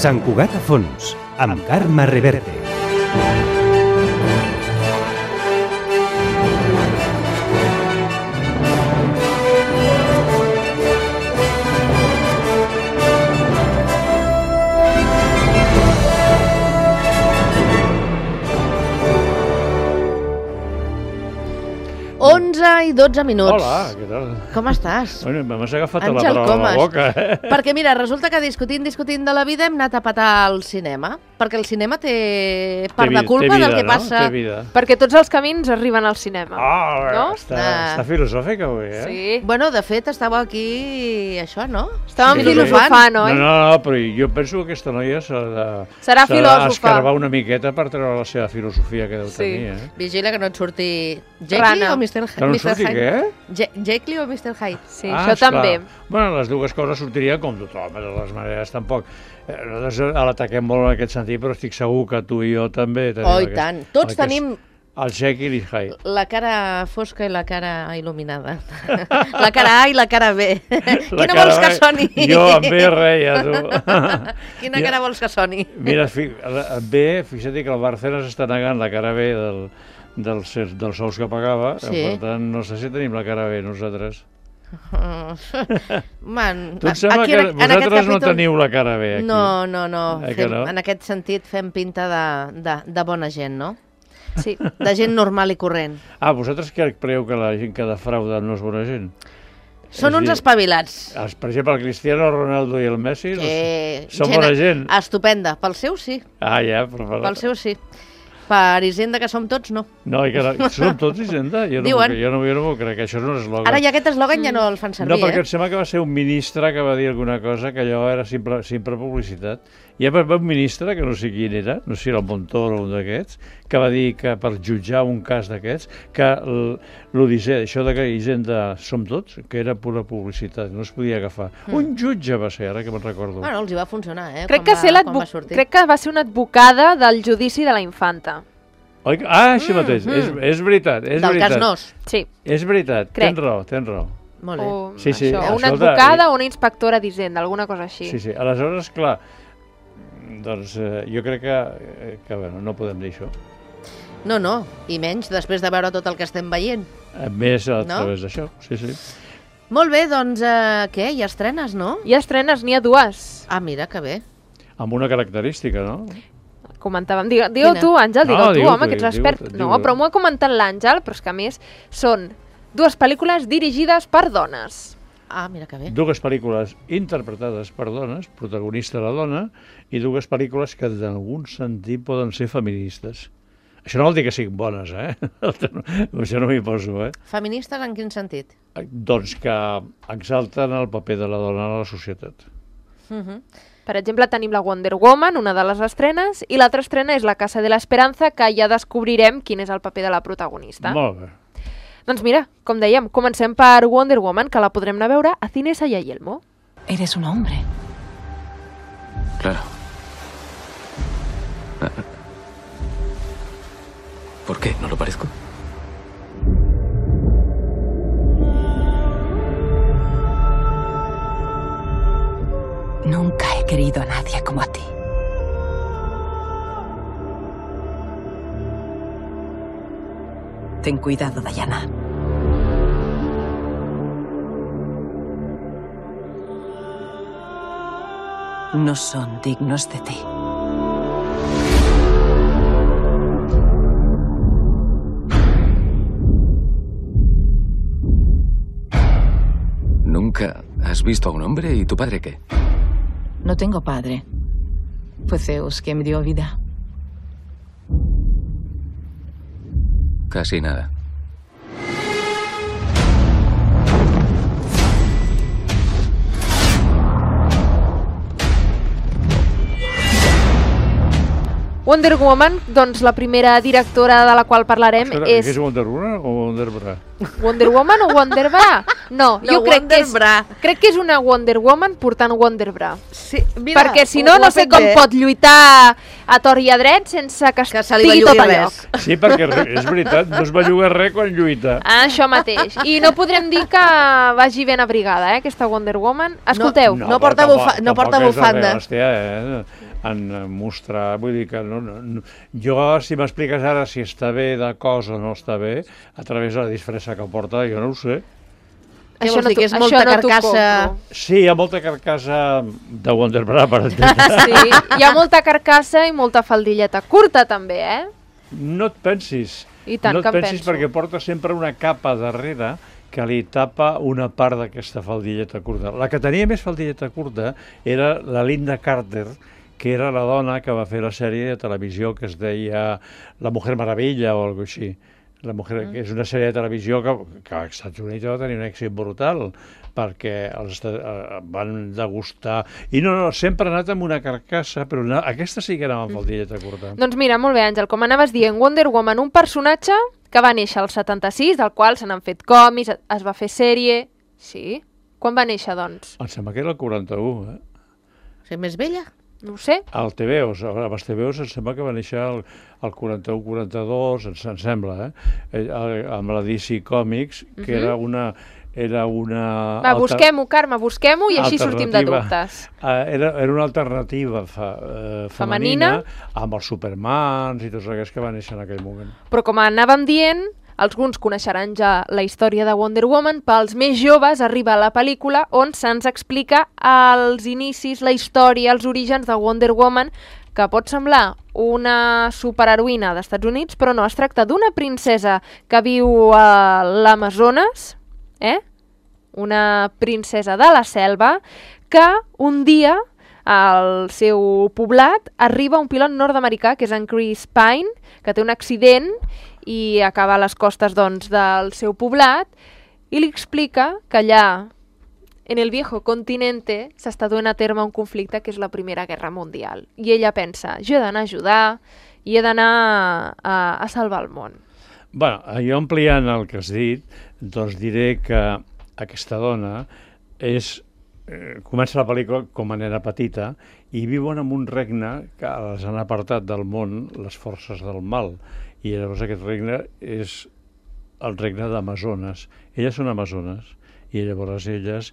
Sant Cugat a fons, amb Carme Reverte. I 12 minuts. Hola, què tal? Com estàs? Bueno, m'has agafat a la Àngel paraula a la Comas. boca, Perquè mira, resulta que discutint de la vida hem anat a petar al cinema, perquè el cinema té part de culpa del que passa. Té vida. Perquè tots els camins arriben al cinema. No? Està filosòfica avui, Sí. Bueno, de fet, estàveu aquí, això, no? Estàvem Sí. filosofant, oi? No, però jo penso que aquesta noia Serà filòsofa. d'escarbar una miqueta per treure la seva filosofia que deu Sí. tenir, Vigila que no et surti Jekyll Rana. o Mr. Que no et surti què? Jekyll o Mr. Hyde. Sí, això també. Bueno, les dues coses sortirien com tothom, de les maneres tampoc. Nosaltres l'ataquem molt en aquest sentit, però estic segur que tu i jo també tenim Oh, i tant. Tots tenim el Jekyll i Hyde. la cara fosca i la cara il·luminada. La cara A i la cara B. Quina vols que soni? Jo amb B reia, tu. Quina cara vols que soni? Mira, amb B, fixa't que el Bárcenas està negant la cara B dels sous que pagava, Sí. per tant, no sé si tenim la cara B nosaltres. Man, Tu et sembla que vosaltres no teniu la cara B aquí? No. Que no? En aquest sentit fem pinta de bona gent, no? Sí. De gent normal i corrent. Vosaltres creieu que la gent que defrauda no és bona gent? Són És uns dir, espavilats. Per exemple, el Cristiano Ronaldo i el Messi són Gent bona gent. estupenda. Pel seu sí, Ja, però... pel seu sí. Per Hisenda que som tots, no. No, i que som tots Hisenda? Jo Diuen. no m'ho crec, això és un eslògan. Ara ja aquest eslògan ja no el fan servir, No, perquè em sembla que va ser un ministre que va dir alguna cosa que allò era simple publicitat. Hi ha un ministre, que no sé quin era, no sé si era el Montoro o un d'aquests, que va dir que per jutjar un cas d'aquests, que l'Odissea, això de que Hisenda som tots, que era pura publicitat, no es podia agafar. Un jutge va ser, ara que me'n recordo. Bueno, els hi va funcionar, Crec Crec que va ser una advocada del judici de la infanta. Oi? Això mateix, és veritat, és Del veritat. cas Nos. Sí. És veritat, Crec. tens raó. Molt bé. O Sí, sí, això, una escolta, advocada o una inspectora d'Hisenda, alguna cosa així. Sí, aleshores, clar, doncs jo crec que bueno, no podem dir això. No, i menys després de veure tot el que estem veient. Més a No? través d'això, sí. Molt bé, doncs, què? Hi ha estrenes, no? Hi ha estrenes, n'hi ha dues. Mira, que bé. Amb una característica, no? Comentàvem. Digue-ho tu, Àngel, No, digue-ho tu, digue-ho home, tu, que ets expert. digue-ho. No, però m'ho ha comentat l'Àngel, però és que a més són dues pel·lícules dirigides per dones. Mira que bé. Dues pel·lícules interpretades per dones, protagonista la dona, i dues pel·lícules que en algun sentit poden ser feministes. Això no vol dir que siguin bones, Això no m'hi poso, Feministes en quin sentit? Doncs que exalten el paper de la dona a la societat. Per exemple, tenim la Wonder Woman, una de les estrenes, i l'altra estrena és La Casa de la Esperanza, que ja descobrirem quin és el paper de la protagonista. Molt bé. Doncs mira, com dèiem, comencem per Wonder Woman, que la podrem anar a veure a Cinesa y Yelmo. Eres un hombre. Claro. ¿Por qué? ¿No lo parezco? Nunca he querido a nadie como a ti. Ten cuidado, Diana. No son dignos de ti. ¿Nunca has visto a un hombre? ¿Y tu padre qué? No tengo padre. Fue Zeus quien me dio vida. Casi nada. Wonder Woman, doncs la primera directora de la qual parlarem Espera, és... és Wonder Woman o Wonder Bra? Wonder Woman o Wonder Bra? No, No, jo crec que, Wonder Bra. crec que és una Wonder Woman portant Wonder Bra. Sí, mira, Perquè si no, ho ha no sé fet com bé. pot lluitar a tor i a dret sense que Que se li estigui tot bellugui a res. lloc. Sí, perquè és veritat, no es belluga res quan lluita. Ah, això mateix. I no podrem dir que vagi ben abrigada, aquesta Wonder Woman. Escolteu, No porta no porta bufanda. Hòstia, en mostrar, vull dir que no. Jo, si m'expliques ara si està bé de cos o no està bé, a través de la disfressa que porta, jo no ho sé. Què vols dir, que és molta carcassa? Sí, hi ha molta carcassa de Wonder Bra, per entendre. Sí, hi ha molta carcassa i molta faldilleta curta també, eh? No et pensis. I tant no que et em pensis penso. perquè porta sempre una capa darrere que li tapa una part d'aquesta faldilleta curta. La que tenia més faldilleta curta era la Linda Carter, que era la dona que va fer la sèrie de televisió que es deia La Mujer Maravilla o alguna així. La Mujer, que és una sèrie de televisió que als Estats Units va tenir un èxit brutal, perquè van degustar... I no, sempre ha anat amb una carcassa, però aquesta sí que era amb faldilleta curta. Doncs mira, molt bé, Àngel, com anaves dient, Wonder Woman, un personatge que va néixer al 76, del qual se n'han fet còmics, es va fer sèrie... Sí? Quan va néixer, doncs? Em sembla que era el 41, Ser més vella? No ho sé. Al TVOs, amb els TVOs em sembla que va néixer el 41-42, em sembla, amb la DC Comics, que era una Va, busquem-ho, Carme, busquem-ho i així sortim de dubtes. Era una alternativa femenina amb els Supermans i tots aquests que van néixer en aquell moment. Però com anàvem dient, alguns coneixeran ja la història de Wonder Woman, pels més joves arriba la pel·lícula on se'ns explica els inicis, la història, els orígens de Wonder Woman, que pot semblar una superheroïna dels Estats Units, però no, es tracta d'una princesa que viu a l'Amazones, una princesa de la selva, que un dia al seu poblat arriba un pilot nord-americà, que és en Chris Pine, que té un accident i acaba a les costes doncs, del seu poblat, i li explica que allà, en el viejo continente, s'està duent a terme un conflicte que és la Primera Guerra Mundial. I ella pensa, jo he d'anar a ajudar i he d'anar a salvar el món. Bueno, jo ampliant el que has dit, doncs diré que aquesta dona comença la pel·lícula com a nena petita i viuen en un regne que les han apartat del món les forces del mal. I llavors aquest regne és el regne d'Amazones. Elles són amazones i llavors elles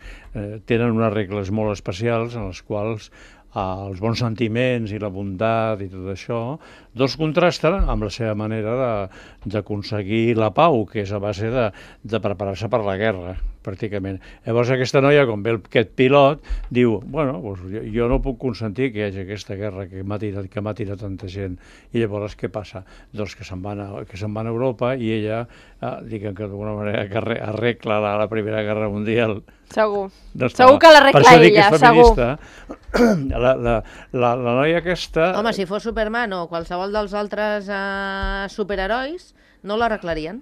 tenen unes regles molt especials en les quals els bons sentiments i la bondat i tot això, doncs contrasten amb la seva manera d'aconseguir la pau, que és a base de preparar-se per la guerra, pràcticament. Llavors aquesta noia, com ve aquest pilot, diu, bueno, doncs jo no puc consentir que hi hagi aquesta guerra que m'ha tirat tanta gent. I llavors què passa? Doncs que se'n van a Europa i ella, diguem que d'alguna manera que arregla la Primera Guerra Mundial. Segur. Doncs Segur que l'arregla per això dic que ella, és feminista. La noia aquesta... Home, si fos Superman o qualsevol dels altres superherois, no l'arreglarien.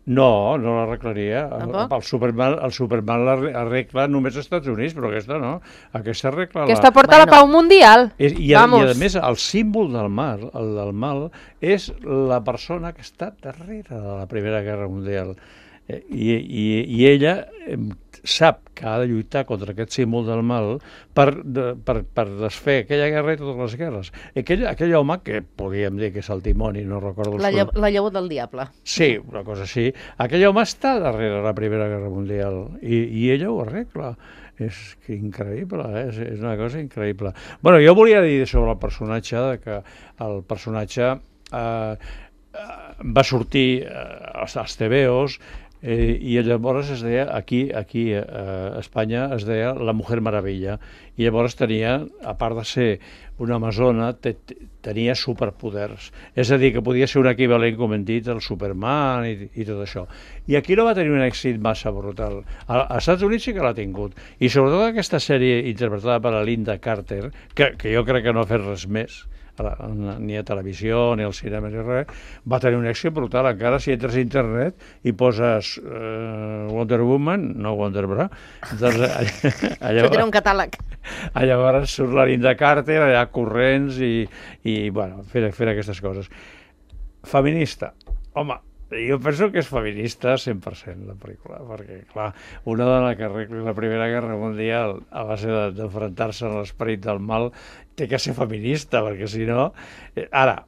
No l'arreglaria. Tampoc? El Superman l'arregla només als Estats Units, però aquesta no. Aquesta arregla... Aquesta porta la pau mundial. I a més, el símbol del mal, el del mal, és la persona que està darrere de la Primera Guerra Mundial. I ella sap que ha de lluitar contra aquest símbol del mal per desfer aquella guerra i totes les guerres. Aquell home, que podríem dir que és el timoni, no recordo el seu... La llavor del diable. Sí, una cosa així. Aquell home està darrere la Primera Guerra Mundial i ella ho arregla. És increïble, és una cosa increïble. Bueno, jo volia dir sobre el personatge que el personatge va sortir als TVOs i llavors es deia, aquí a Espanya es deia La Mujer Maravilla, i llavors tenia, a part de ser una amazona, tenia superpoders, és a dir, que podia ser un equivalent, com hem dit, al Superman i tot això. I aquí no va tenir un èxit massa brutal. Als Estats Units sí que l'ha tingut, i sobretot aquesta sèrie interpretada per la Linda Carter, que jo crec que no ha fet res més, ni a televisió, ni al cinema, ni res, va tenir un èxit brutal. Encara si entres a internet i poses Wonder Woman, no Wonder Bra, doncs Això tindrà un catàleg. Llavors surt la Linda Carter allà corrents i bueno, fent aquestes coses. Feminista. Home, Jo penso que és feminista 100% la pel·lícula, perquè, clar, una dona que arregli la Primera Guerra Mundial a base d'enfrontar-se a l'esperit del mal té que ser feminista, perquè si no... Ara,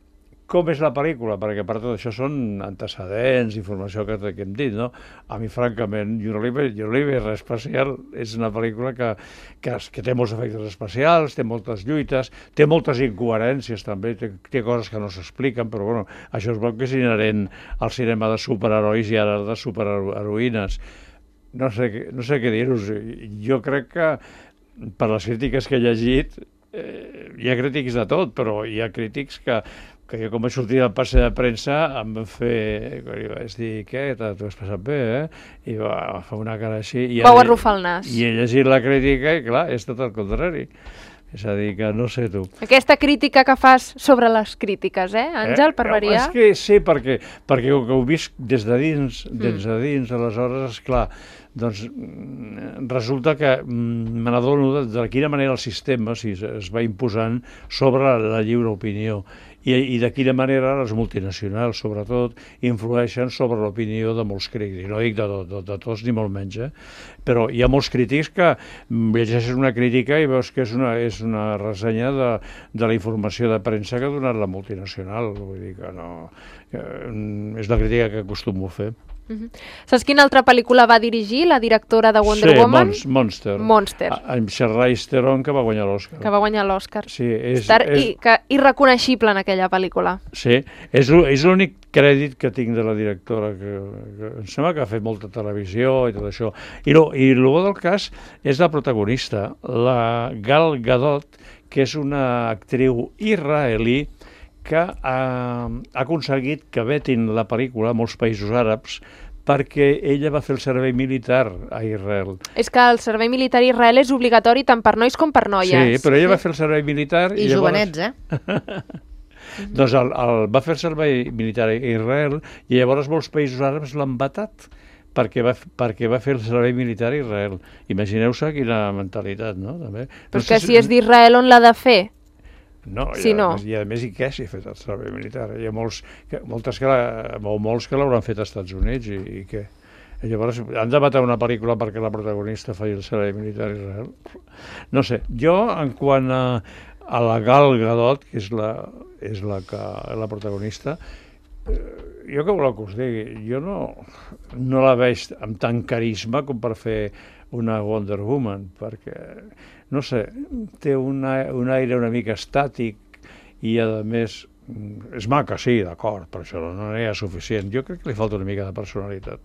com és la pel·lícula? Perquè per tot això són antecedents, informació que hem dit, no? A mi, francament, jo no li veig res especial. És una pel·lícula que té molts efectes especials, té moltes lluites, té moltes incoherències també, té coses que no s'expliquen, però bueno, això es veu que és inherent al cinema de superherois i ara de superheroïnes. No sé què dir-vos. Jo crec que, per les crítiques que he llegit, hi ha crítics de tot, però hi ha crítics que jo com vaig sortir del passe de premsa em van fer, vaig dir, què, t'ho has passat bé, I va fer una cara així. Vau arrufar el nas. I he llegit la crítica i, clar, és tot el contrari. És a dir, que no sé tu. Aquesta crítica que fas sobre les crítiques, Àngel, per variar? És que sí, perquè ho he vist des de dins, aleshores, esclar, doncs resulta que me n'adono de quina manera el sistema es va imposant sobre la lliure opinió i de quina manera les multinacionals, sobretot, influeixen sobre l'opinió de molts crítics. No dic de tots, ni molt menys, però hi ha molts crítics que llegeixes una crítica i veus que és una ressenya de la informació de premsa que ha donat la multinacional. Vull dir que no... És la crítica que acostumo a fer. Saps quina altra pel·lícula va dirigir la directora de Wonder Woman? Sí, Monster. Amb Charlize Theron, que va guanyar l'Oscar. Sí, irreconeixible en aquella pel·lícula. Sí, és l'únic crèdit que tinc de la directora, que em sembla que ha fet molta televisió i tot això. I el bo del cas és la protagonista, la Gal Gadot, que és una actriu israelí que ha aconseguit que vetin la pel·lícula a molts països àrabs perquè ella va fer el servei militar a Israel. És que el servei militar a Israel és obligatori tant per nois com per noies. Sí, però ella va fer el servei militar... I jovenets, Doncs va fer el servei militar a Israel i llavors molts països àrabs l'han vetat perquè va fer el servei militar a Israel. Imagineu-se quina mentalitat, no? També. Però és que si és d'Israel, on l'ha de fer? No, si i a més, i què si ha fet el servei militar? Hi ha molts que l'hauran fet als Estats Units i què? I llavors han de matar una pel·lícula perquè la protagonista faci el servei militar a Israel? No sé, jo en quant a la Gal Gadot, que és la protagonista, jo què voleu que us digui? Jo no la veig amb tant carisma com per fer una Wonder Woman, perquè, no sé, té un aire una mica estàtic i, a més, és maca, sí, d'acord, però això no n'hi ha suficient. Jo crec que li falta una mica de personalitat.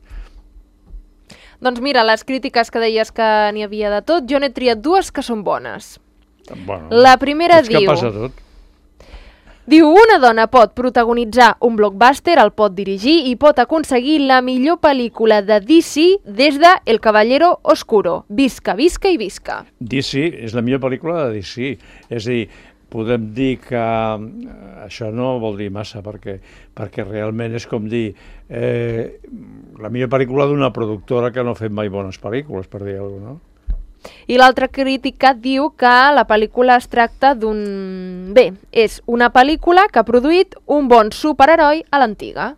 Doncs mira, les crítiques que deies que n'hi havia de tot, jo n'he triat dues que són bones. Bueno, la primera diu... És que passa tot. Diu, una dona pot protagonitzar un blockbuster, el pot dirigir i pot aconseguir la millor pel·lícula de DC des de El Caballero Oscuro. Visca, visca i visca. DC és la millor pel·lícula de DC. És a dir, podem dir que això no vol dir massa, perquè realment és com dir la millor pel·lícula d'una productora que no ha fet mai bones pel·lícules, per dir alguna cosa, no? I l'altra crítica diu que la pel·lícula es tracta d'un... Bé, és una pel·lícula que ha produït un bon superheroi a l'antiga.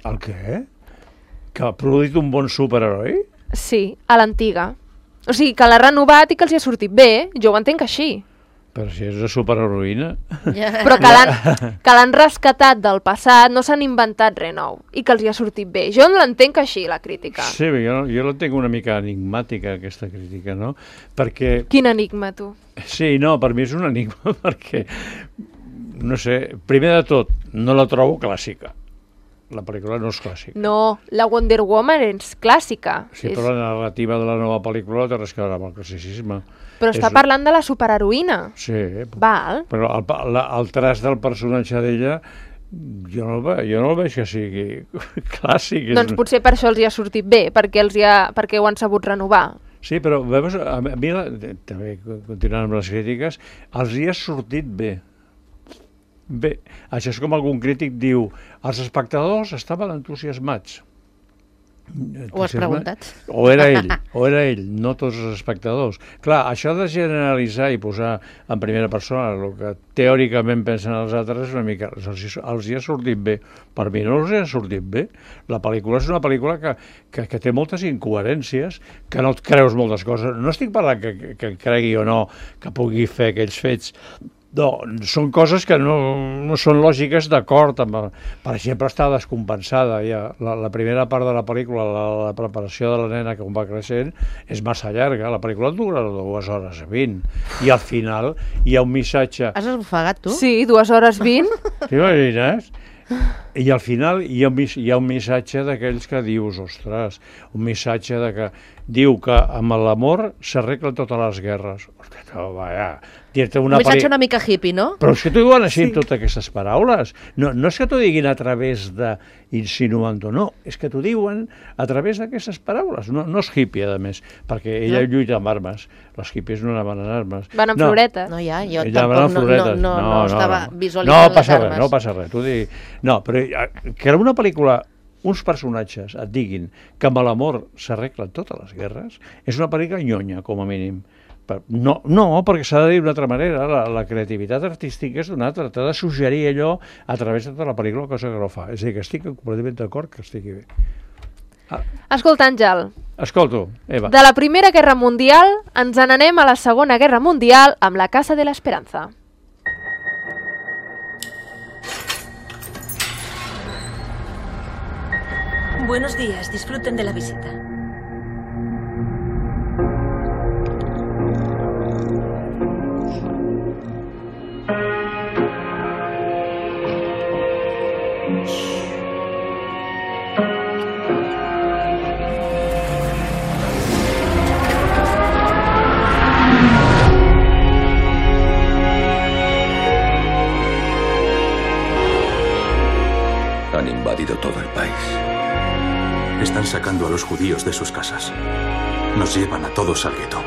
El què? Que ha produït un bon superheroi? Sí, a l'antiga. O sigui, que l'ha renovat i que els hi ha sortit bé, jo ho entenc així. Però si és una superheroïna... Però que l'han rescatat del passat, no s'han inventat res nou, i que els hi ha sortit bé. Jo no l'entenc així, la crítica. Sí, jo l'entenc una mica enigmàtica, aquesta crítica, no? Perquè... Quin enigma, tu? Sí, no, per mi és un enigma, perquè, no sé, primer de tot, no la trobo clàssica. La pel·lícula no és clàssica. No, la Wonder Woman és clàssica. Sí, però la narrativa de la nova pel·lícula no té res a veure amb el classicisme. Però està parlant de la superheroïna. Sí. Val. Però el traç del personatge d'ella jo no el veig que sigui clàssic. Doncs potser per això els hi ha sortit bé, perquè ho han sabut renovar. Sí, però veus, a mi, també continuant amb les crítiques, els hi ha sortit bé. Bé, això és com algun crític diu, els espectadors estaven entusiasmats. Ho has preguntat? O era ell, no tots els espectadors. Clar, això de generalitzar i posar en primera persona el que teòricament pensen els altres, una mica, els hi ha sortit bé. Per mi no els hi ha sortit bé. La pel·lícula és una pel·lícula que té moltes incoherències, que no et creus moltes coses. No estic parlant que cregui o no que pugui fer aquells fets. No, són coses que no són lògiques d'acord amb... Per exemple, està descompensada. Ja. La primera part de la pel·lícula, la preparació de la nena que va creixent, és massa llarga. La pel·lícula dura 2 hores 20. I al final hi ha un missatge... Has esbufegat, tu? Sí, 2 hores 20. T'imagines? I al final hi ha un missatge d'aquells que dius, ostres, un missatge de que diu que amb l'amor s'arreglen totes les guerres. Ostres, vaja, dir-te Un missatge una mica hippie, no? Però és que t'ho diuen així totes aquestes paraules. No és que t'ho diguin a través de insinuant-ho, no. És que t'ho diuen a través d'aquestes paraules. No és hippie, a més, perquè ella lluita amb armes. Les hippies no anaven en armes. Van amb floretes. No, ja, jo Ella va amb tampoc floretes. no estava visualitzant les armes. No passa res. No, però que era una pel·lícula, uns personatges et diguin que amb l'amor s'arreglen totes les guerres, és una pel·lícula nyonya, com a mínim. No, perquè s'ha de dir d'una altra manera, la creativitat artística és d'una altra, t'ha de suggerir allò a través de tota la pel·lícula, cosa que no fa. És a dir, que estic completament d'acord que estigui bé. Escolta, Àngel. Escolto, Eva. De la Primera Guerra Mundial ens n'anem a la Segona Guerra Mundial amb La Casa de la Esperanza. Buenos días, disfruten de la visita. Han invadido todo el país. Están sacando a los judíos de sus casas. Nos llevan a todos al gueto.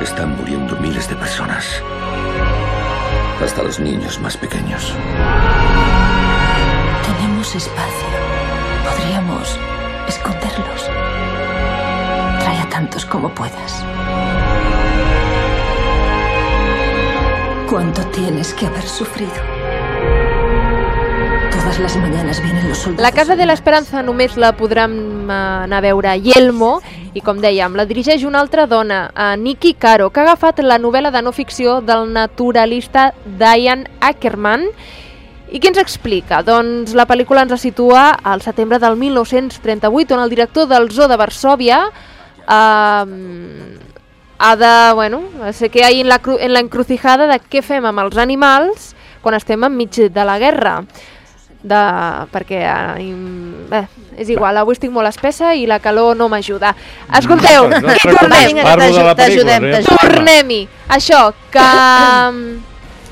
Están muriendo miles de personas. Hasta los niños más pequeños. Tenemos espacio. Podríamos esconderlos. Trae a tantos como puedas. ¿Cuánto tienes que haber sufrido? Todas les mañanes vienen los soldados. La Casa de l'Esperança només la podrem anar a veure a Yelmo i, com dèiem, la dirigeix una altra dona, Nikki Caro, que ha agafat la novel·la de no ficció del naturalista Diane Ackerman. I què ens explica? Doncs la pel·lícula ens la situa al setembre del 1938, on el director del Zoo de Varsòvia ha de, sé que hi en la encrucijada de què fem amb els animals quan estem enmig de la guerra. Perquè és igual, avui estic molt espessa i la calor no m'ajuda. Escolteu, tornem-hi. Això, que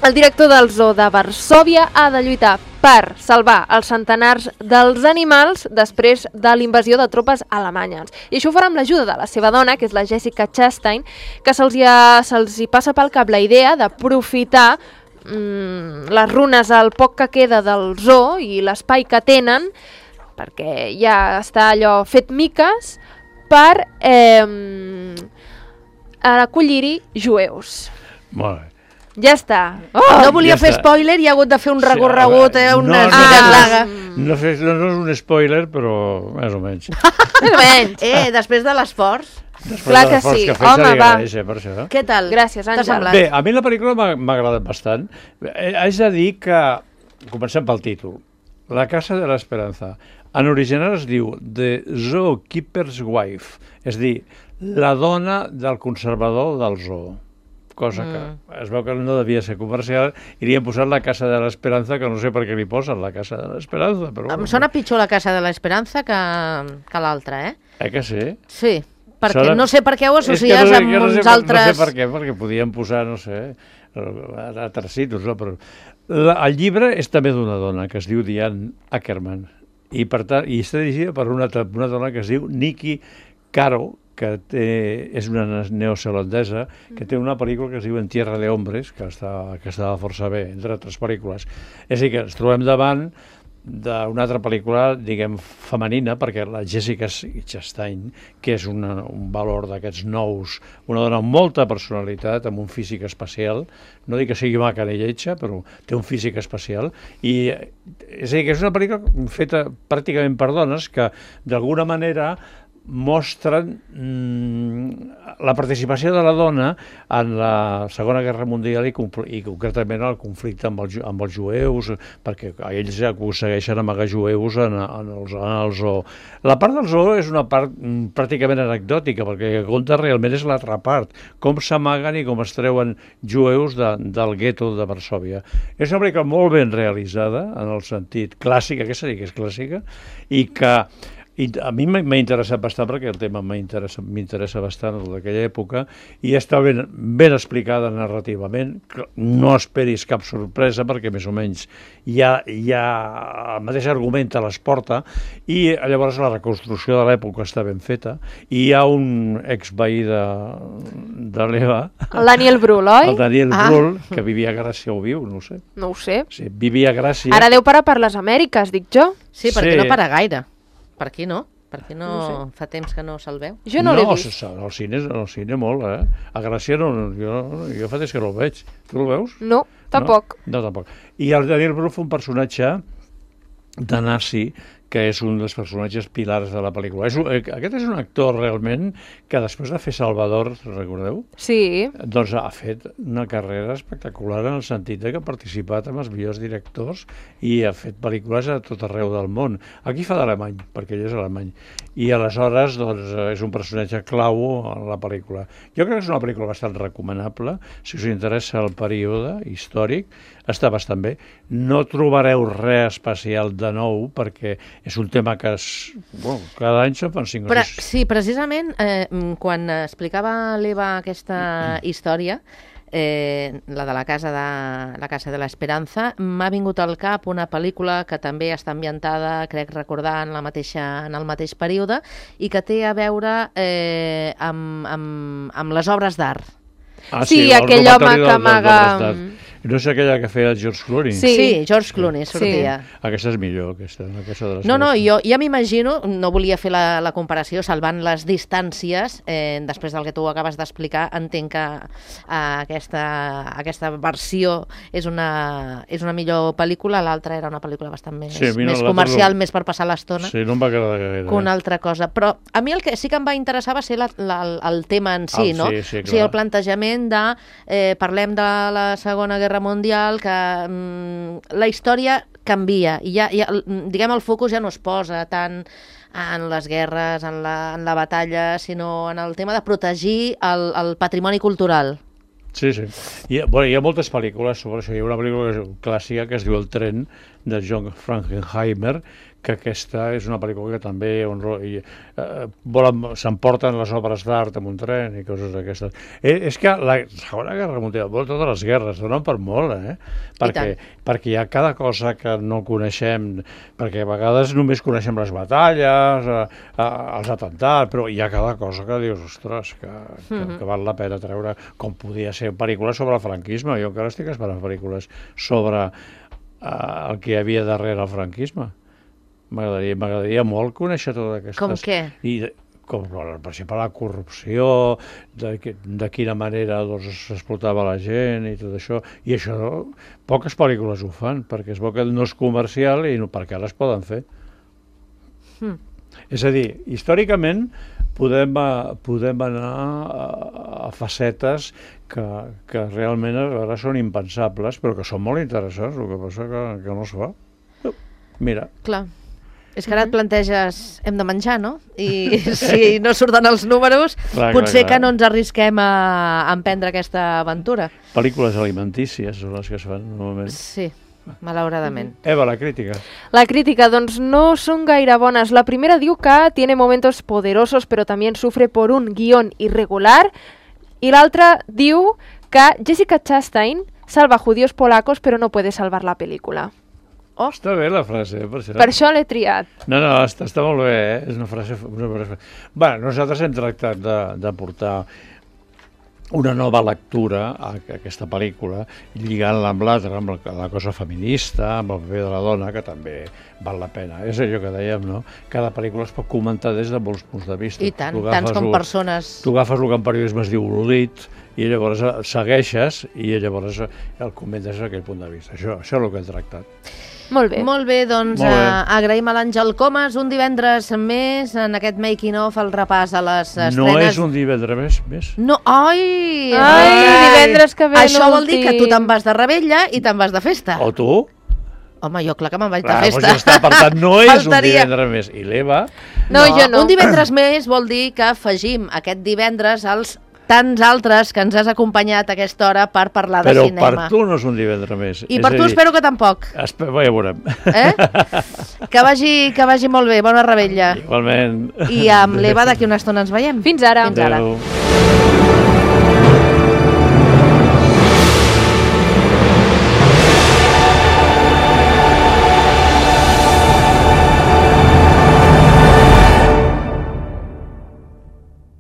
el director del Zoo de Varsòvia ha de lluitar per salvar els centenars dels animals després de l'invasió de tropes alemanyes. I això ho farà amb l'ajuda de la seva dona, que és la Jessica Chastain, que se'ls hi passa pel cap la idea d'aprofitar les runes, el poc que queda del zoo i l'espai que tenen, perquè ja està allò fet miques, per acollir-hi jueus. Molt bé. Ja està. No volia fer spoiler i ha hagut de fer un recorregut, unes miques larga. No és un spoiler, però més o menys. Més o menys. Després de l'esforç. Clar que sí. Home, va. Què tal? Gràcies, Àngel. Bé, a mi la pel·lícula m'ha agradat bastant. Haig de dir que, comencem pel títol, La Casa de l'Esperança. En original es diu The Zookeeper's Wife, és a dir, la dona del conservador del zoo. Cosa que es veu que no devia ser comercial, i li han posat La Casa de l'Esperança, que no sé per què li posen La Casa de l'Esperança. Em sona pitjor La Casa de l'Esperança que l'altra, que sí? Sí, perquè no sé per què ho associes amb uns altres... No sé per què, perquè podien posar, no sé, altres situs, no? Però el llibre és també d'una dona que es diu Diane Ackerman, i per tant, i està dirigida per una dona que es diu Nikki Caro, és una neozelandesa, que té una pel·lícula que es diu En tierra de hombres, que estava força bé, entre altres pel·lícules. És a dir, que ens trobem davant d'una altra pel·lícula, diguem, femenina, perquè la Jessica Chastain, que és un valor d'aquests nous, una dona amb molta personalitat, amb un físic especial, no dic que sigui maca ni lletja, però té un físic especial, i és a dir, que és una pel·lícula feta pràcticament per dones que, d'alguna manera, mostren la participació de la dona en la Segona Guerra Mundial i concretament el conflicte amb els jueus, perquè ells aconsegueixen amagar jueus en el zoo. La part del zoo és una part pràcticament anecdòtica, perquè el que compta realment és l'altra part, com s'amaguen i com es treuen jueus del gueto de Varsòvia. És una pel·lícula molt ben realitzada, en el sentit clàssic, aquesta sí que és clàssica, i que a mi m'ha interessat bastant perquè el tema m'interessa bastant d'aquella època i està ben explicada narrativament. No esperis cap sorpresa perquè més o menys ja el mateix argument te les porta i llavors la reconstrucció de l'època està ben feta i hi ha un exveí de l'Eva, el Daniel Brühl, oi? El Daniel Brühl, que vivia a Gràcia o viu, no ho sé. No ho sé. Sí, vivia a Gràcia. Ara deu parar per les Amèriques, dic jo. Sí, perquè no para gaire. Per aquí no? Per aquí no fa temps que no se'l veu? Jo no l'he vist. No, al cine molt, A Gràcia jo fa temps que no el veig. Tu el veus? No, tampoc. No, tampoc. I el Daniel Brühl fa un personatge de nazi que és un dels personatges pilars de la pel·lícula. Aquest és un actor realment que després de fer Salvador, recordeu? Sí. Doncs ha fet una carrera espectacular en el sentit que ha participat amb els millors directors i ha fet pel·lícules a tot arreu del món. Aquí fa d'alemany, perquè ell és alemany. I aleshores doncs, és un personatge clau en la pel·lícula. Jo crec que és una pel·lícula bastant recomanable. Si us interessa el període històric, està bastant bé. No trobareu res especial de nou, perquè és un tema que cada any se'n fan 5 o 6. Sí, precisament, quan explicava l'Eva aquesta història, la de la casa de l'Esperanza, m'ha vingut al cap una pel·lícula que també està ambientada, crec recordar, en el mateix període i que té a veure amb les obres d'art. Sí, aquell home que amaga... No és aquella que feia George Clooney? Sí, George Clooney sortia. Aquesta és millor, aquesta de les No, jo ja m'imagino, no volia fer la comparació, salvant les distàncies, després del que tu acabes d'explicar, entenc que aquesta versió és una millor pel·lícula, l'altra era una pel·lícula bastant més comercial, més per passar l'estona. Sí, no em va agradar gaire. Que una altra cosa. Però a mi el que sí que em va interessar va ser el tema en si, no? Sí, o sigui, el plantejament de parlem de la Segona Guerra Mundial, que la història canvia i diguem, el focus ja no es posa tant en les guerres, en la batalla, sinó en el tema de protegir el patrimoni cultural. Sí. Hi ha moltes pel·lícules sobre això. Hi ha una pel·lícula clàssica que es diu El tren, de John Frankenheimer, que aquesta és una pel·lícula que també s'emporten les obres d'art amb un tren i coses d'aquestes. És que la Segona Guerra Mundial, totes les guerres, donen per molt, perquè hi ha cada cosa que no coneixem, perquè a vegades només coneixem les batalles, els atemptats, però hi ha cada cosa que dius, ostres, que val la pena treure, com podia ser pel·lícules sobre el franquisme. Jo encara estic esperant pel·lícules sobre el que hi havia darrere el franquisme. M'agradaria molt conèixer totes aquestes... Com què? Com, per exemple, la corrupció, de quina manera s'explotava la gent i tot això. I això poques pel·lícules ho fan, perquè es veu que no és comercial i perquè ara es poden fer. És a dir, històricament podem anar a facetes que realment ara són impensables, però que són molt interessants, el que passa que no es fa. Mira. Clar. És que ara et planteges, hem de menjar, no? I si no surten els números, potser que no ens arrisquem a emprendre aquesta aventura. Pel·lícules alimentícies són les que es fan normalment. Sí, malauradament. Eva, la crítica. La crítica, doncs no són gaire bones. La primera diu que tiene momentos poderosos, pero también sufre por un guión irregular. Y la otra diu que Jessica Chastain salva judíos polacos, pero no puede salvar la película. Oh. Està bé la frase, per això. Per això l'he triat. No, està molt bé, És una frase... Bé, nosaltres hem tractat de portar una nova lectura a aquesta pel·lícula, lligant-la amb l'altra, amb la cosa feminista, amb el paper de la dona, que també val la pena. És allò que dèiem, no? Cada pel·lícula es pot comentar des de molts punts de vista. I tant, tants com persones. Tu agafes el que en periodisme es diu l'olit, i llavors segueixes, i llavors el comentes des d'aquell punt de vista. Això és el que hem tractat. Molt bé. Molt bé, doncs agraïm a l'Àngel Comas. Un divendres més en aquest making of, el repàs a les estrenes. No és un divendres més? No, ai, divendres que ve això vol dir que tu te'n vas de rebella i te'n vas de festa. O tu? Home, jo clar que me'n vaig de festa. Doncs ja està, per tant, no és un divendres més. I l'Eva? No, jo no. Un divendres més vol dir que afegim aquest divendres als tants altres que ens has acompanyat a aquesta hora per parlar de cinema. Però per tu no és un divendres més. I per tu espero que tampoc. Ja veurem. Que vagi molt bé, bona rebella. Igualment. I amb l'Eva d'aquí una estona ens veiem. Fins ara. Adéu.